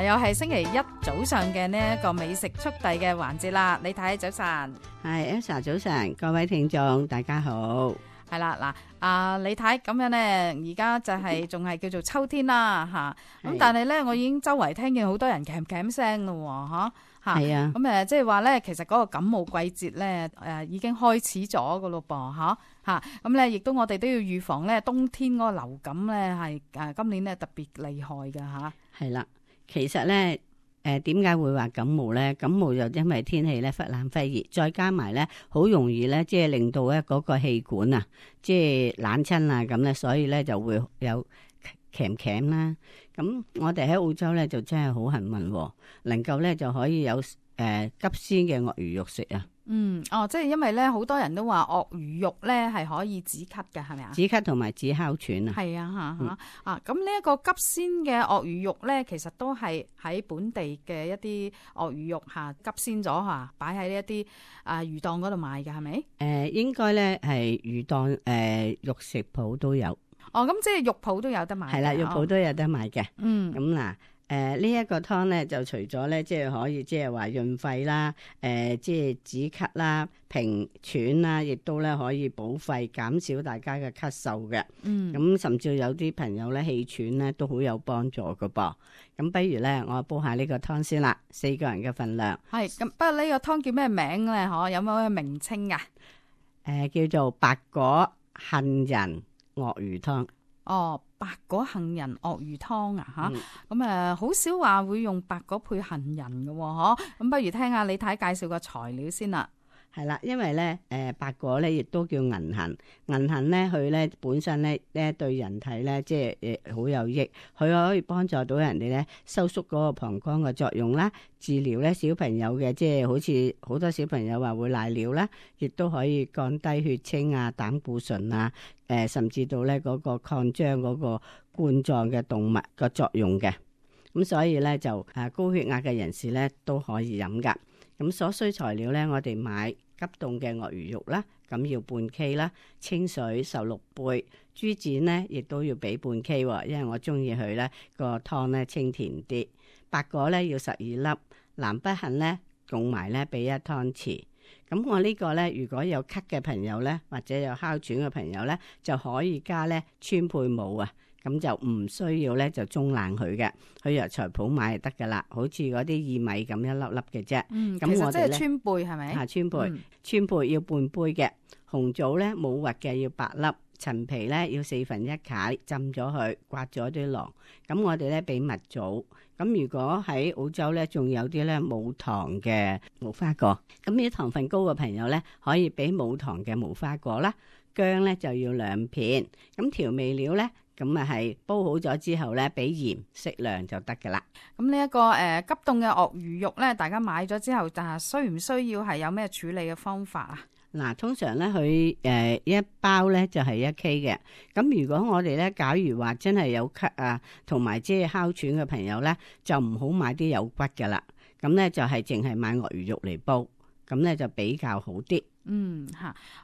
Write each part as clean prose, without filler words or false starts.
又係星期一早上嘅呢一個美食速遞嘅環節啦。李太早晨，係 Elsa 早晨，各位聽眾大家好。係啦嗱，李太咁樣呢，而家就係仲係叫做秋天啦吓，咁但係咧我已經周圍聽見好多人咳咳聲咯吓。係啊，咁即係話咧，其實嗰個感冒季節咧，已經開始咗噶咯噃，吓咁咧，亦都我哋都要預防咧，冬天嗰個流感咧係今年咧特別厲害噶吓。係啦，其實咧點解會話感冒咧？感冒就因為天氣咧忽冷忽熱，再加埋咧好容易咧，即係令到咧嗰個氣管啊，即係冷親啊咁咧，所以咧就會有咳啦。咁我哋喺澳洲咧就真係好幸運，能夠咧就可以有急鮮嘅鱷魚肉食啊。即係因為咧好多人都話鱷魚肉咧係可以止咳嘅，係咪啊？止咳同埋止哮喘啊。係啊，咁呢一個急鮮嘅鱷魚肉咧，其實都係喺本地嘅一啲鱷魚肉急鮮咗擺喺一啲魚檔嗰度賣嘅，係咪？應該咧係魚檔肉食鋪都有。咁即係肉鋪都有得賣。係啦，肉鋪都有得賣嘅。咁嗱，呢一個湯咧就除咗咧即係可以即係話潤肺啦，即係止咳啦、平喘啦，亦都咧可以補肺，減少大家嘅咳嗽嘅。咁甚至有啲朋友咧氣喘咧都好有幫助㗎噃。咁不如咧我煲下呢個湯先啦，4個人嘅份量。係咁，不過呢個湯叫咩名咧？有冇咩名稱啊？叫做白果杏仁鱷魚湯。白果杏仁鱷魚湯啊咁好少話會用白果配杏仁嘅咁不如聽下李太介紹個材料先啦。係啦，因為咧白果咧亦都叫銀杏，銀杏咧佢咧本身咧對人體咧即係好有益，佢可以幫助到人哋咧收縮嗰個膀胱嘅作用啦，治療咧小朋友嘅即係好似好多小朋友話會瀨尿啦，亦都可以降低血清啊、膽固醇啊，甚至到咧嗰個擴張嗰個冠狀嘅動脈個作用嘅。咁所以咧就高血壓嘅人士咧都可以飲噶。咁所需材料咧，我哋買急凍嘅鱷魚肉啦，咁要半 K 啦，清水16杯，豬展咧亦都要俾半 K，因為我中意佢咧個湯咧清甜啲。白果咧要12粒，南北杏咧共埋咧俾1湯匙。咁我呢個咧，如果有咳嘅朋友咧，或者有哮喘嘅朋友咧，就可以加咧川貝母啊。咁就唔需要咧，就中冷佢嘅，去藥材鋪買就得噶啦，好似嗰啲薏米咁一粒粒嘅啫。咁我哋咧，川貝係咪？川貝要半杯嘅，紅棗咧冇核嘅要8粒，陳皮咧要1/4解，浸咗佢，刮咗啲囊。咁我哋咧俾蜜棗。咁如果喺澳洲咧，仲有啲咧冇糖嘅無花果，咁啲糖分高嘅朋友咧，可以俾冇糖嘅無花果啦。薑咧就要2片，咁調味料咧。咁係煲好咗之後咧，俾鹽適量就得噶啦。咁呢一個急凍嘅鱷魚肉咧，大家買咗之後，但係需唔需要係有咩處理嘅方法啊？嗱，通常咧佢一包咧就係1 K 嘅。咁如果我哋咧，假如話真係有咳啊，同埋即係哮喘嘅朋友咧，就唔好買啲有骨噶啦。咁咧就係淨係買鱷魚肉嚟煲，咁咧就比較好啲。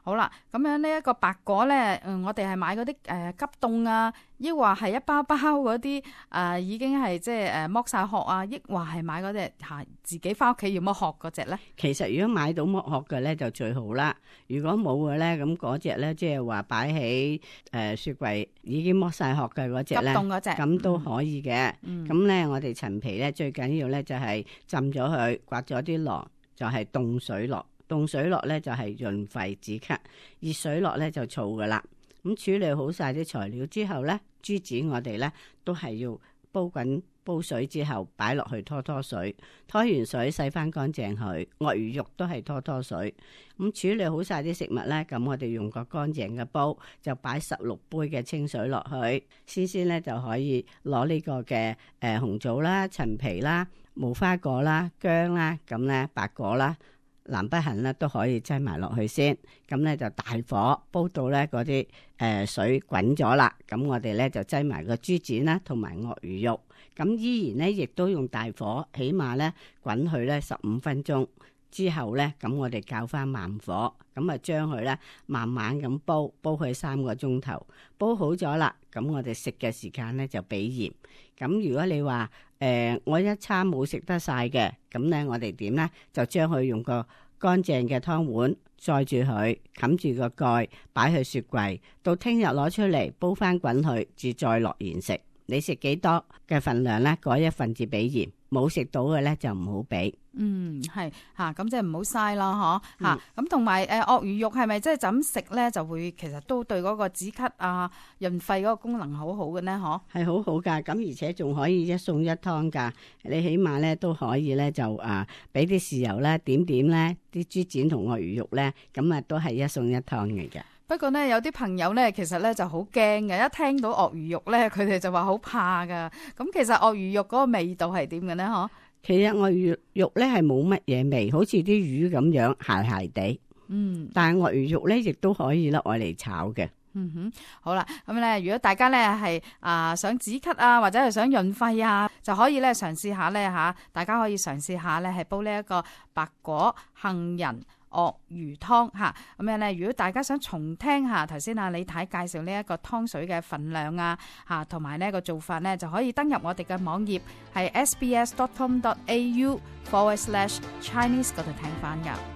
好啦，咁樣呢一個白果咧，我哋係買嗰啲急凍啊，抑或係一包包嗰啲已經係即係剝晒殼啊，抑或係買嗰隻自己翻屋企要剝殼嗰隻咧？其實如果買到剝殼嘅咧就最好啦。如果冇嘅咧，咁嗰隻咧即係話擺喺雪櫃已經剝晒殼嘅嗰隻咧，急凍嗰隻咁都可以嘅。咁咧我哋陳皮咧最緊要咧就係浸咗佢，刮咗啲囊，就係凍水落。凍水落咧就係潤肺止咳，熱水落咧就燥噶啦。咁處理好晒啲材料之後咧，豬展我哋咧都係要煲水之後擺落去拖水，拖完水洗翻乾淨佢。鱷魚肉都係拖水。咁處理好晒啲食物咧，咁我哋用個乾淨嘅煲就擺16杯嘅清水落去，先咧就可以攞呢個嘅紅棗啦、陳皮啦、無花果啦、薑啦，咁咧白果啦。南北杏咧都可以擠埋落去先，咁咧就大火煲到咧嗰啲水滾咗啦，咁我哋咧就擠埋個豬展啦，同埋鱷魚肉，咁依然咧亦都用大火，起碼咧滾佢咧15分鐘，之後咧，咁我哋較翻慢火，咁啊將佢咧慢慢咁煲佢3個鐘頭，煲好咗啦，咁我哋食嘅時間咧就俾鹽。咁如果你話我一餐冇食得晒嘅，咁咧我哋點咧就將佢用個乾淨嘅湯碗載住佢，冚住個蓋，擺去雪櫃，到聽日攞出嚟煲翻滾佢，至再落鹽食。你食幾多嘅份量咧，嗰一份至俾鹽，冇食到嘅咧就唔好俾。係吓，咁即係唔好嘥啦，嗬吓。咁同埋鱷魚肉係咪即係就咁食咧，就會其實都對嗰個止咳啊、潤肺嗰個功能好好嘅呢？嗬，係好好噶，咁而且仲可以一餸一湯噶。你起碼咧都可以咧就俾啲豉油咧點咧啲豬展同鱷魚肉咧，咁啊都係一餸一湯嚟嘅。不過呢，有啲朋友呢，其實呢就好驚嘅，一聽到鱷魚肉呢，佢哋就話好怕噶。咁其實鱷魚肉嗰個味道係點嘅呢？嗬，其實鱷魚肉呢係冇乜嘢味，好似啲魚咁樣鹹鹹地。但係鱷魚肉呢亦都可以咧愛嚟炒嘅。好啦，咁咧如果大家呢係想止咳啊，或者係想潤肺啊，就可以咧嘗試下呢。吓，大家可以嘗試下呢係煲呢一個白果杏仁鱷魚湯吓，咁樣咧，如果大家想重聽下頭先李太介紹呢一個湯水嘅份量啊吓，同埋呢個做法呢，就可以登入我哋嘅網頁係 sbs.com.au/Chinese 嗰度聽翻噶。